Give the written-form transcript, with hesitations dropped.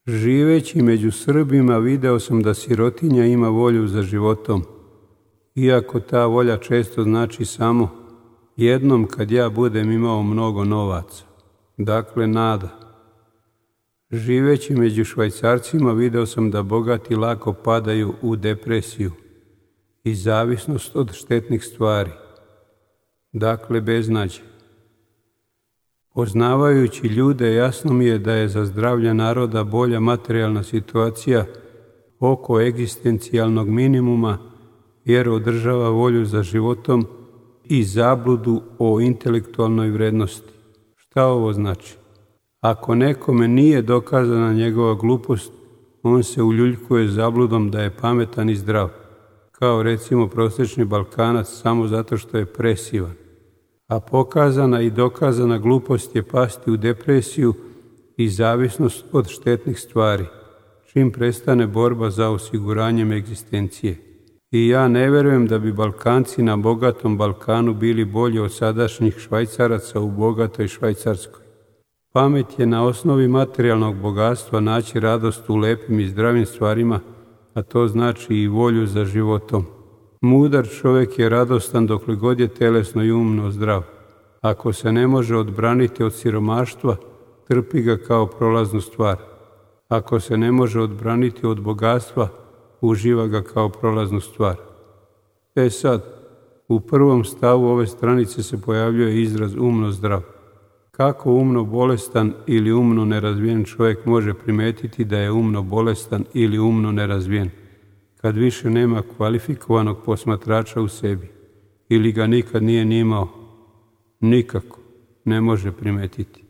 Živeći među Srbima video sam da sirotinja ima volju za životom, iako ta volja često znači samo jednom kad ja budem imao mnogo novaca. Dakle, nada. Živeći među Švajcarcima video sam da bogati lako padaju u depresiju i zavisnost od štetnih stvari. Dakle, beznađe. Poznavajući ljude, jasno mi je da je za zdravlje naroda bolja materijalna situacija oko egzistencijalnog minimuma, jer održava volju za životom i zabludu o intelektualnoj vrednosti. Šta ovo znači? Ako nekome nije dokazana njegova glupost, on se uljuljkuje zabludom da je pametan i zdrav, kao recimo prosječni Balkanac samo zato što je presivan. A pokazana i dokazana glupost je pasti u depresiju i zavisnost od štetnih stvari, čim prestane borba za osiguranjem egzistencije. I ja ne verujem da bi Balkanci na bogatom Balkanu bili bolji od sadašnjih Švajcaraca u bogatoj Švajcarskoj. Pamet je na osnovi materijalnog bogatstva naći radost u lepim i zdravim stvarima, a to znači i volju za životom. Mudar čovjek je radostan dokle god je telesno i umno zdrav. Ako se ne može odbraniti od siromaštva, trpi ga kao prolaznu stvar. Ako se ne može odbraniti od bogatstva, uživa ga kao prolaznu stvar. Sad, u prvom stavu ove stranice se pojavljuje izraz umno zdrav. Kako umno bolestan ili umno nerazvijen čovjek može primetiti da je umno bolestan ili umno nerazvijen, kad više nema kvalifikovanog posmatrača u sebi, ili ga nikad nije ni imao? Nikako ne može primetiti.